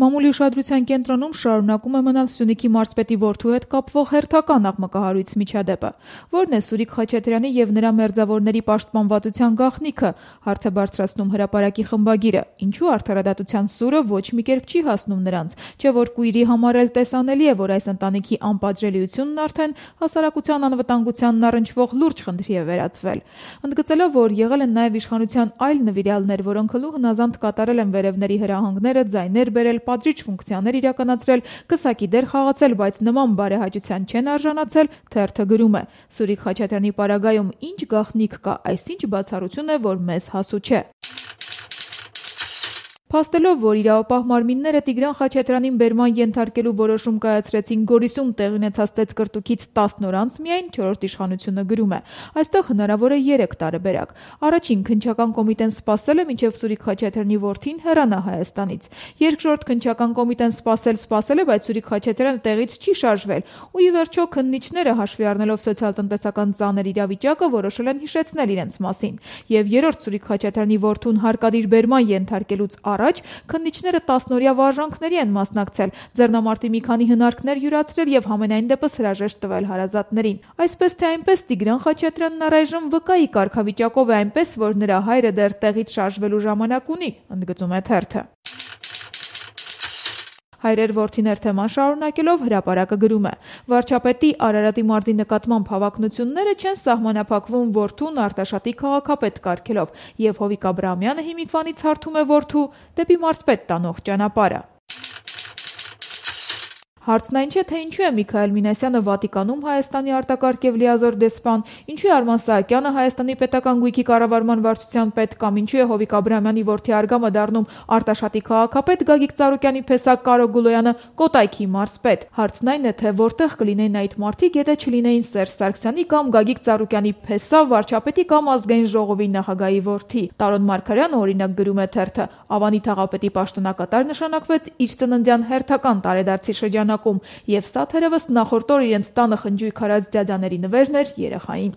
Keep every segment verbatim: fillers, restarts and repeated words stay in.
Մամուլի ուշադրության կենտրոնում շարունակում է մնալ Սյունիքի մարզպետի որդու հետ կապվող հերթական աղմկահարույց միջադեպը, որն է Սուրիկ Խաչատրյանի եւ նրա մերձավորների պաշտպանվածության գաղտնիքը, հարց է բարձրացնում հրապարակի խմբագիրը, ինչու արդարադատության սուրը ոչ մի կերպ չի հասնում նրանց, չէ որ կույրի համար էլ տեսանելի է, որ այս ընտանիքի անպատժելիությունն արդեն հասարակության անվտանգությանն առնչվող լուրջ խնդրի է վերածվել, ընդգծելով, որ եղել են նաեւ իշխանության այլ նվիրյալներ, որոնք հլու հնազանդ կատարել են վերևների հրահանգները, ձայներ բերել, պատժիչ ֆունկցիաներ իրականացրել, կսակի դեր խաղացել, բայց նման բարեհաճության չեն արժանացել, թերթը գրում է. Սուրիկ Խաչատրյանի պարագայում ինչ գաղտնիք կա, այսինչ բացառություն է, որ մեզ հասու չէ։ Փաստելով, որ իրավապահ մարմինները Տիգրան Խաչատրյանին բերման ենթարկելու որոշում կայացրեցին Գորիսում տեղի ունեցած ծեծկռտուքից տասն օր անց միայն, չորրորդ իշխանությունը գրում է. այստեղ հնարավոր է երեք տարբերակ։ Առաջին քննչական կոմիտեն սպասել է, մինչև Սուրիկ Խաչատրյանի որդին հեռանա Հայաստանից։ Երկրորդ քննչական կոմիտեն սպասել-սպասել է, բայց Սուրիկ Խաչատրյանը տեղից չի շարժվել, ու ի վերջո քննիչները, հաշվի առնելով սոցիալ-տնտեսական ծանր իրավիճակը, որոշել են հիշեցնել իրենց մասին։ Եվ երրորդ Սուրիկ Խաչատրյանի որդուն հարկադիր բերման ենթարկելուց առաջ քննիչները տասնօրյա վարժանքների են մասնակցել, ձեռնամարտի մի քանի հնարքներ յուրացրել եւ համենայն դեպս հրաժեշտ տվել հարազատներին։ Այսպես թե այնպես Տիգրան Խաչատրյանն առայժմ վկայի կարգավիճակով է, այնպես որ նրա հայրը դեռ տեղից շարժվելու ժամանակ ունի, ընդգծում է թերթը։ Հայրեր որդիներ թեման շարունակելով հրապարակը գրում է. Վարչապետի Արարատի մարզի նկատմամբ հավակնությունները չեն սահմանափակվում որդուն Արտաշատի քաղաքապետ կարգելով, եւ Հովիկ Աբրահամյանը հիմիկվանից հարթում է որդու դեպի մարզպետ տանող ճանապարհը։ Հարցն այն չէ, թե ինչու է Միքայել Մինասյանը Վատիկանում Հայաստանի արտակարգ եւ լիազոր դեսպան, ինչու է Արման Սահակյանը Հայաստանի պետական գույքի կառավարման վարչության պետ կամ ինչու է Հովիկ Աբրահամյանի որդի Արգամը դառնում Արտաշատի քաղաքապետ, Գագիկ Ծառուկյանի փեսակ Կարո Գուլոյանը Կոտայքի մարզպետ։ Հարցն այն է, թե որտեղ կլինեին այդ մարդիկ, եթե չլինեին Սերժ Սարգսյանի կամ Գագիկ Ծառուկյանի փեսա վարչապետի կամ ազգային ժողովի նախագահի որդի։ Տարոն Մարգարյանը օրինակ գրում է թերթը. Ավանի թաղապետի պաշտոնակատար նշանակվեց իր ծննդյան հերթական տարեդարձի շրջան Եվ սա թերևս նախորդ օր իրենց տանը խնջույք արած դյադյաների նվերն էր երեխային։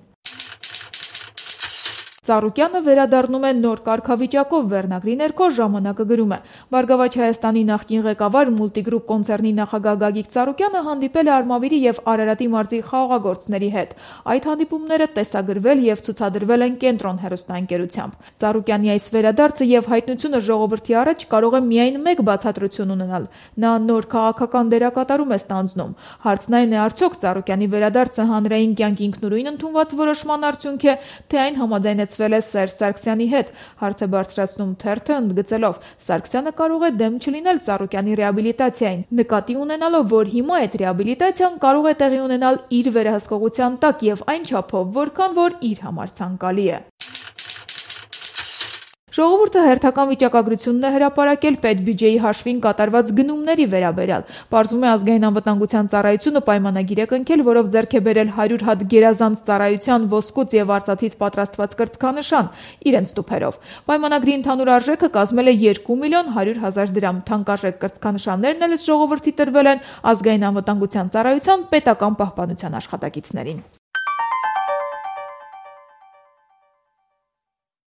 Ծառուկյանը վերադառնում է նոր կարգավիճակով վերնագրի ներքո ժամանակը գրում է. Բարգավաճ Հայաստանի նախկին ղեկավար Մուլտիգրուպ կոնցեռնի նախագահ Գագիկ Ծառուկյանը հանդիպել է Արմավիրի եւ Արարատի մարզի խաղաղագործների հետ։ Այդ հանդիպումները տեսագրվել եւ ցուցադրվել են Կենտրոն հեռուստաընկերությամբ։ Ծառուկյանի այս վերադարձը եւ հայտնությունը ժողովրդի առաջ կարող է միայն մեկ բացատրություն ունենալ։ Նա նոր քաղաքական դերակատարում է ստանձնում։ Հարցն այն է, արդյոք Ծառուկյանի վերադարձը հանրային կյանք ինքնուրույն ընդունված որոշման արդյունք է, թե այն համաձայնեց ել է Սերժ Սարգսյանի հետ, հարց է բարձրացնում թերթը ընդգծելով. Սարգսյանը կարող է դեմ չլինել Ծառուկյանի ռեաբիլիտացիային, նկատի ունենալով, որ հիմա այդ ռեաբիլիտացիան կարող է տեղի ունենալ իր վերահսկողության տակ եւ այն չափով, որքան որ իր համար ցանկալի է։ Ժողովուրդը հերթական վիճակագրությունն է հրապարակել պետբյուջեի հաշվին կատարված գնումների վերաբերյալ։ Պարզվում է ազգային անվտանգության ծառայությունը պայմանագիր է կնքել, որով ձեռք է բերել հարյուր հատ գերազանց ծառայության ոսկուց եւ արծաթից պատրաստված կրծքանշան իրենց տուփերով։ Պայմանագրի ընդհանուր արժեքը կազմել է երկու միլիոն հարյուր հազար դրամ։ Թանկարժեք կրծքանշաններն էլ ըստ ժողովրդի տրվել են ազգային անվտանգության ծառայության պետական պահպանության աշխատակիցներին։